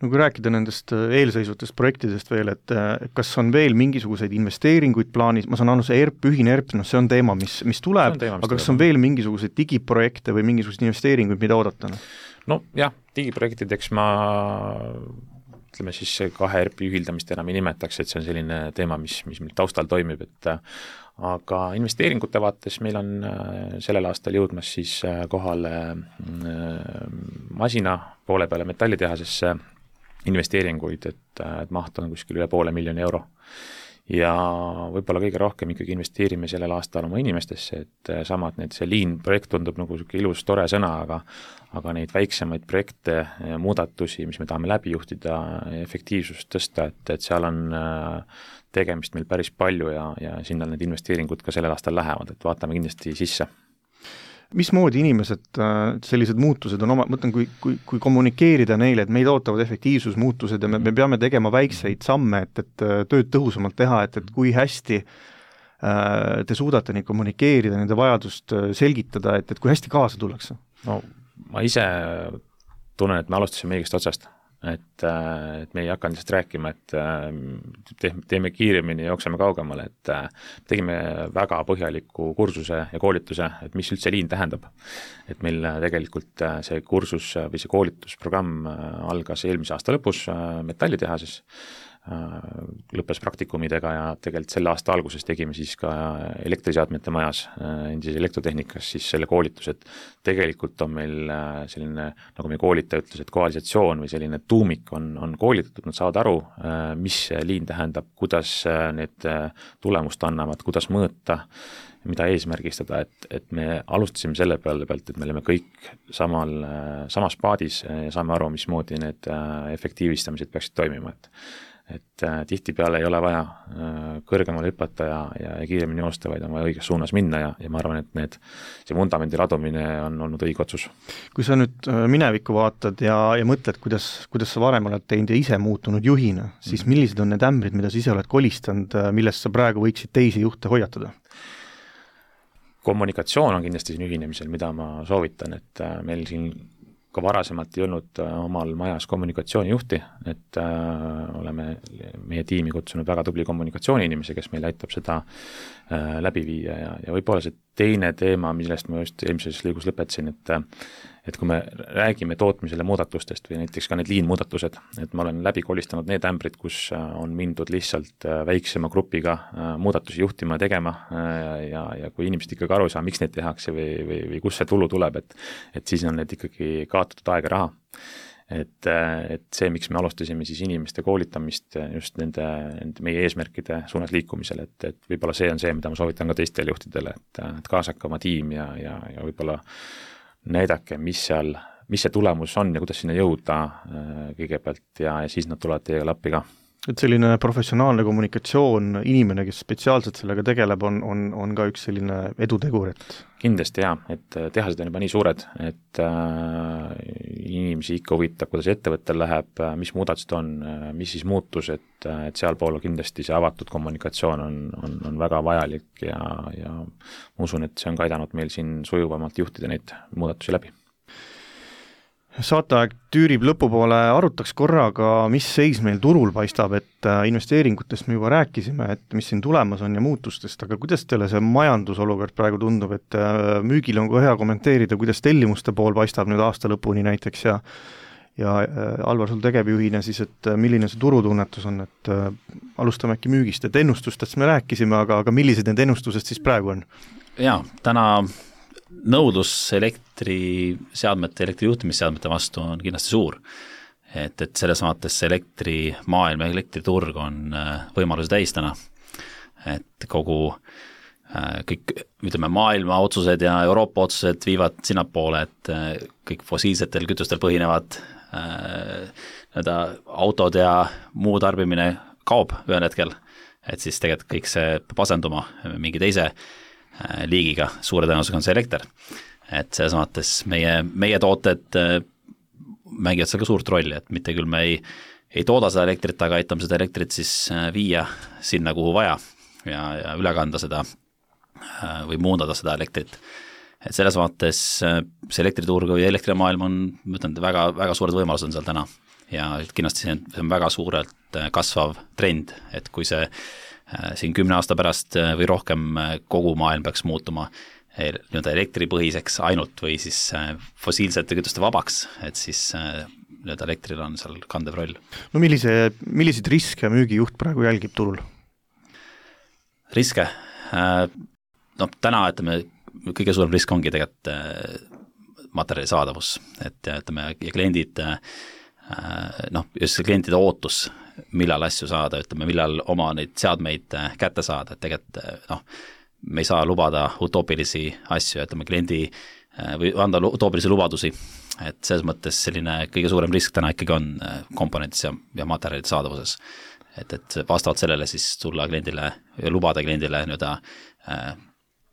No kui rääkida nendest eelseisvutest projektidest veel, et kas on veel mingisuguseid investeeringuid plaanis, ma saan aru, see ühine ERP, see on teema, mis tuleb, aga kas on veel mingisuguseid digiprojekte või mingisuguseid investeeringuid, mida oodata? No jah, digiprojektideks ma ütleme siis 2 ERP-i ühildamist enam ei nimetaks, et see on selline teema, mis meil taustal toimib, aga investeeringute vaates meil on sellel aastal jõudmas siis kohale masina poole peale metallitehasesse investeeringuid, et maht on kuskil üle €500,000 ja võib-olla kõige rohkem ikkagi investeerime sellel aastal oma inimestesse, et samad see liin-projekt tundub nagu ilus, tore sõna, aga neid väiksemaid projekte ja muudatusi, mis me tahame läbi juhtida, efektiivsust tõsta, et seal on tegemist meil päris palju ja sinna need investeeringud ka sellel aastal lähevad, et vaatame kindlasti sisse. Mismoodi inimesed sellised muutused on mõtlen, kui kommunikeerida neile, et meid ootavad efektiivsusmuutused ja me peame tegema väikseid samme, et tööd tõhusamalt teha, et kui hästi te suudate neid kommunikeerida, nende vajadust selgitada, et kui hästi kaasa tullakse? No ma ise tunnen, et me alustasime õigest otsast, et me ei hakanud lihtsalt rääkima, et teeme kiiremini ja jookseme kaugemale, et tegime väga põhjaliku kursuse ja koolituse, et mis üldse liin tähendab. Et meil tegelikult see kursus või see koolitusprogramm algas eelmise aasta lõpus metallitehases, lõppes praktikumidega ja tegelikult selle aasta alguses tegime siis ka elektriseadmete majas, endises elektrotehnikas siis selle koolitus, et tegelikult on meil selline, nagu meie koolitaja ütles, et koalisatsioon või selline tuumik on koolitatud, nad saavad aru, mis liin tähendab, kuidas need tulemust annavad, kuidas mõõta, mida eesmärgistada, et me alustasime selle pealt, et me oleme kõik samas paadis ja saame aru, mismoodi need efektiivistamised peaksid toimima, et tihtipeale ei ole vaja kõrgemale hüpata ja kiiremini joosta, vaid on vaja õiges suunas minna ja ma arvan, et see vundamendi ladumine on olnud õige otsus. Kui sa nüüd minevikku vaatad ja mõtled, kuidas sa varem oled teinud ja ise muutunud juhina, siis millised on need ämbrid, mida sa ise oled kolistanud, millest sa praegu võiksid teisi juhte hoiatada? Kommunikatsioon on kindlasti siin ühinemisel, mida ma soovitan, et meil siin ka varasemalt ei olnud omal majas kommunikatsioonijuhti, et oleme meie tiimi kutsunud väga tubli kommunikatsiooniinimese, kes meil aitab seda läbi viia ja võib-olla see teine teema, millest ma just eelmises lõigus lõpetasin, et kui me räägime tootmisele muudatustest või näiteks ka need liinmuudatused, et ma olen läbi kolistanud need ämbrid, kus on mindud lihtsalt väiksema grupiga muudatusi juhtima ja tegema ja kui inimesed ikkagi aru ei saa, miks neid tehakse või kus see tulu tuleb, et siis on need ikkagi kaotatud aega raha. Et see, miks me alustasime siis inimeste koolitamist just nende meie eesmärkide suunas liikumisel, et võib-olla see on see, mida ma soovitan ka teistele juhtidele, et kaasake oma tiim ja võib-olla näidake, mis see tulemus on ja kuidas sinna jõuda kõigepealt ja siis nad tulevad teiega lappi ka. Et selline professionaalne kommunikatsioon, inimene, kes spetsiaalselt sellega tegeleb, on ka üks selline edutegur, et kindlasti jah, et tehased on juba nii suured, et inimesi ikka huvitab, kuidas ettevõttel läheb, mis muudatused on, mis siis muutus, et sealpool kindlasti see avatud kommunikatsioon on väga vajalik ja ma usun, et see on ka aidanud meil siin sujuvamalt juhtida neid muudatusi läbi. Saateaeg tüürib lõpupoole, arutaks korraga, mis seis meil turul paistab, et investeeringutest me juba rääkisime, et mis siin tulemas on ja muutustest, aga kuidas teile see majandusolukord praegu tundub, et müügil on ka hea kommenteerida, kuidas tellimuste pool paistab nüüd aasta lõpuni näiteks ja Alvar, sul tegevjuhina siis, et milline see turutunnetus on, et alustame äkki müügist, et ennustustest me rääkisime, aga millised need ennustused siis praegu on? Jaa, täna nõudlus elektriseadmete, elektrijuhtimisseadmete vastu on kindlasti suur. Et selles vaates elektrimaailm ja elektriturg on võimaluse täis täna. Et kõik, ütleme, maailma otsused ja Euroopa otsused viivad sinnapoole, et kõik fossiilsetel kütustel põhinevad autod ja muu tarbimine kaob ühel hetkel. Et siis tegelikult kõik see peab asenduma mingi teise liigiga, suure tõenäosusega on see elekter. Et selles mõttes meie tooted mängivad seal ka suurt rolli, et mitte küll me ei tooda seda elektrit, aga aitame seda elektrit siis viia sinna, kuhu vaja ja üle kanda seda või muundada seda elektrit. Et selles mõttes see elektriturg või elektrimaailm on, ma ütlen, väga, väga suured võimalused on seal täna ja kindlasti see on väga suurelt kasvav trend, et kui see siin 10 aasta pärast või rohkem kogu maailm peaks muutuma elektripõhiseks ainult või siis fossiilsete kütuste vabaks, et siis elektril on seal kandev roll. No milliseid riske müügijuht praegu jälgib turul? Riske? No täna, ütleme, kõige suurem risk ongi tegelikult materjali saadavus, et ütleme, ja kliendid, just see klientide ootus, millal asju saada, ütleme, millal oma neid seadmeid kätte saada, et tegelikult me ei saa lubada utoopilisi asju, ütleme kliendi või anda utoopilisi lubadusi, et selles mõttes selline kõige suurem risk täna ikkagi on komponentis ja materjalide saadavuses. Et vastavalt sellele siis tulla kliendile ja lubada kliendile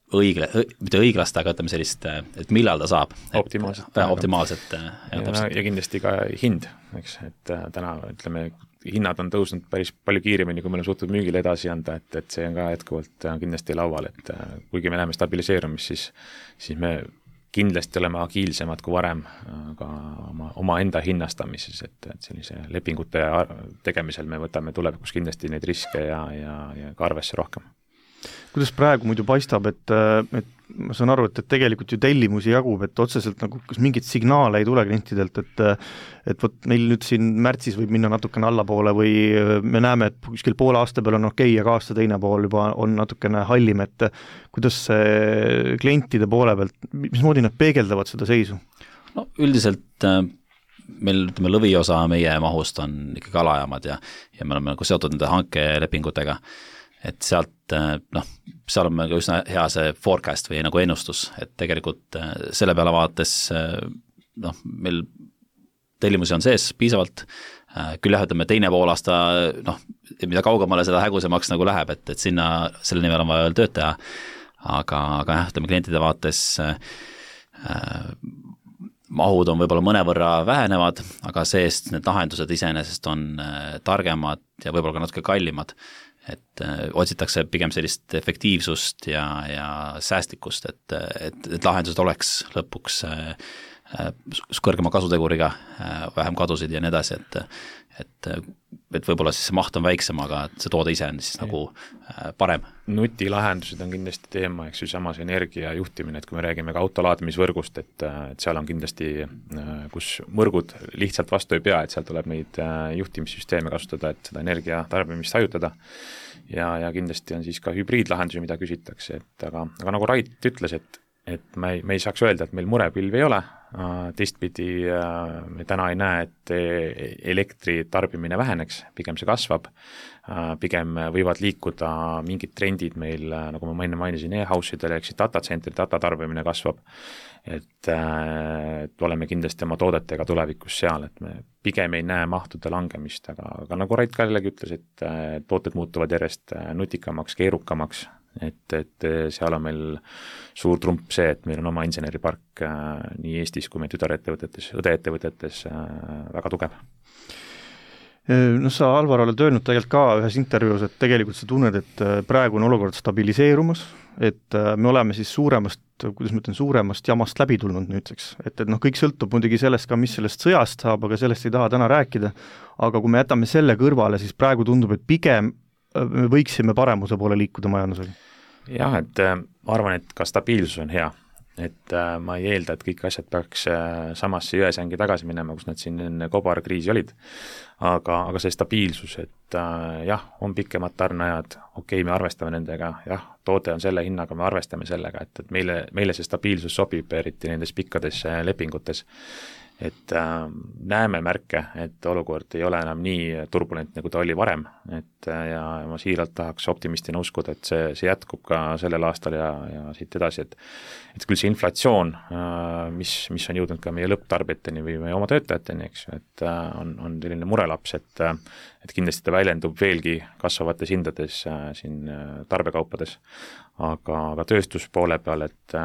mitte õiglast, aga ütleme sellist, et millal ta saab. Optimaalselt. Ja kindlasti ka hind, eks, et täna ütleme, hinnad on tõusnud päris palju kiiremini, kui me oleme suutnud müügile edasi anda, et see on ka jätkuvalt kindlasti laual, et kuigi me läheme stabiliseerumist, siis me kindlasti oleme agiilsemad kui varem ka oma enda hinnastamises, et sellise lepingute tegemisel me võtame tulevikus kindlasti neid riske ja ka arvesse rohkem. Kuidas praegu muidu paistab, et ma saan aru, et tegelikult ju tellimusi jagub, et otseselt nagu kas mingit signaale ei tule klientidelt, et võt meil nüüd siin märtsis võib minna natukene allapoole või me näeme, et kuskil poole aasta peal on okei, aga aasta teine pool juba on natukene hallim, et kuidas see klientide poole pealt, mismoodi nad peegeldavad seda seisu? No üldiselt meil lõviosa meie mahust on ikkagi alajaamad ja me oleme nagu seotud nende hankelepingutega, et sealt, seal on meil ka üsna hea see forecast või nagu ennustus, et tegelikult selle peale vaadates, meil tellimusi on sees piisavalt, küll jah, ütleme teine poolaasta, mida kaugemale seda hägusemaks nagu läheb, et sinna, selle nimel on vaja veel tööd teha, aga jah, ütleme klientide vaates mahud on võib-olla mõnevõrra vähenevad, aga seest need lahendused iseenesest on targemad ja võib-olla ka natuke kallimad, et otsitakse pigem sellist efektiivsust ja säästlikkust, et lahendused oleks lõpuks kõrgema kasuteguriga, vähem kadusid ja nii edasi, et võib-olla siis see maht on väiksem, aga see toode ise on siis nagu parem. Nutilahendused on kindlasti teema, eks ju, samas energia juhtimine, et kui me räägime ka autolaadimisvõrgust, et seal on kindlasti, kus mõrgud lihtsalt vastu ei pea, et seal tuleb neid juhtimissüsteeme kasutada, et seda energia tarbimist hajutada ja kindlasti on siis ka hübriidlahendusi, mida küsitakse, et aga nagu Rait ütles, et me ei saaks öelda, et meil murepilvi ei ole, teistpidi me täna ei näe, et elektri tarbimine väheneks, pigem see kasvab, pigem võivad liikuda mingid trendid meil, nagu ma enne mainisin, e-house'idele, ehk siis datacentri tarbimine kasvab, et oleme kindlasti oma toodetega tulevikus seal, et me pigem ei näe mahtude langemist, aga nagu Rait ka jällegi ütles, et tooted muutuvad järjest nutikamaks, keerukamaks, et seal on meil suur trump see, et meil on oma inseneripark nii Eestis kui meie tütarettevõtetes, õdeettevõtetes väga tugev. No sa, Alvar, oled öelnud tegelikult ka ühes intervjuus, et tegelikult sa tunned, et praegu on olukord stabiliseerumas, et me oleme siis suuremast jamast läbi tulnud nüüdseks, et kõik sõltub muidugi sellest ka, mis sellest sõjast saab, aga sellest ei taha täna rääkida, aga kui me jätame selle kõrvale, siis praegu tundub, et pigem me võiksime paremuse poole liikuda majandusega. Jah, et ma arvan, et ka stabiilsus on hea, et ma ei eelda, et kõik asjad peaks samasse jõesängi tagasi minema, kus nad siin enne kobarkriisi olid, aga see stabiilsus, et jah, on pikemad tarneajad, okei, me arvestame nendega, jah, toode on selle hinnaga, me arvestame sellega, et meile see stabiilsus sobib, eriti nendes pikkades lepingutes, et näeme märke, et olukord ei ole enam nii turbulentne, kui ta oli varem, et ja ma siiralt tahaks optimistina uskuda, et see jätkub ka sellel aastal ja siit edasi, et küll see inflatsioon, mis on jõudnud ka meie lõpptarbijateni või meie oma töötajateni, eks ju, et on selline murelaps, et kindlasti ta väljendub veelgi kasvavates hindades siin tarbekaupades, aga tööstuspoole peal, et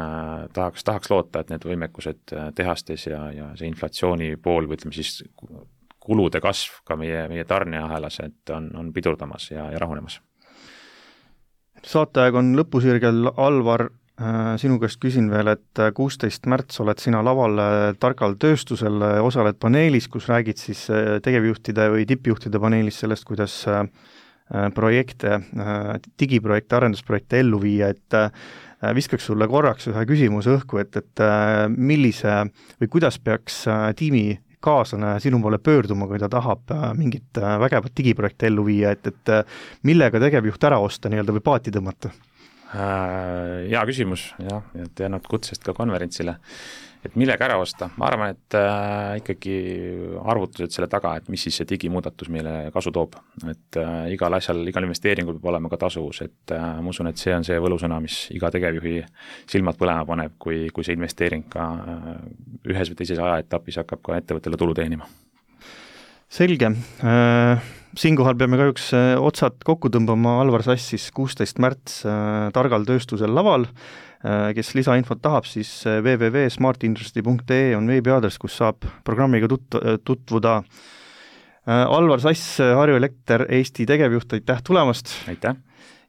tahaks loota, et need võimekused tehastes ja see inflatsiooni pool või ütleme siis kulude kasv ka meie tarneahelas, et on pidurdamas ja rahunemas. Saateaeg on lõpusirgel, Alvar, sinu käest küsin veel, et 16. märts oled sina laval Targal tööstusel, osaled paneelis, kus räägid siis tegevjuhtide või tippjuhtide paneelis sellest, kuidas projekte, digiprojekte, arendusprojekte ellu viia, et viskaks sulle korraks ühe küsimuse õhku, et millise või kuidas peaks tiimi kaaslane sinu poole pöörduma, kui ta tahab mingit vägevat digiprojekte ellu viia, et millega tegevjuht ära osta nii-öelda või paati tõmmata? Hea küsimus, jah, et jäänud kutsest ka konverentsile, et millega ära osta, ma arvan, et ikkagi arvutused selle taga, et mis siis see digimuudatus meile kasu toob, et igal asjal, igal investeeringul peab olema ka tasuvus, et ma usun, et see on see võlusõna, mis iga tegevjuhi silmad põlema paneb, kui see investeering ka ühes või teises ajaetapis hakkab ka ettevõttele tulu teenima. Selge. Siinkohal peame kahjuks otsad kokku tõmbama, Alvar Sass siis 16. märts Targal tööstusel laval, kes lisainfot tahab, siis www.smartindustry.ee on veebiaadress, kus saab programmiga tutvuda. Alvar Sass, Harju Elekter Eesti tegevjuht, aitäh tulemast! Aitäh!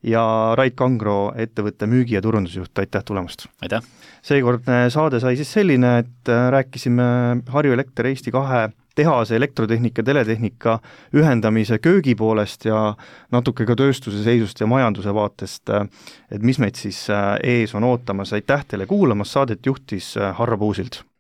Ja Rait Kangro, ettevõtte müügi- ja turundusjuht, aitäh tulemast! Aitäh! Seekordne saade sai siis selline, et rääkisime Harju Elekter Eesti 2 tehase elektrotehnika, teletehnika ühendamise köögi poolest ja natuke ka tööstuse seisust ja majanduse vaatest, et mis meid siis ees on ootamas. Aitäh teile kuulamas, saadet juhtis Harro Puusild!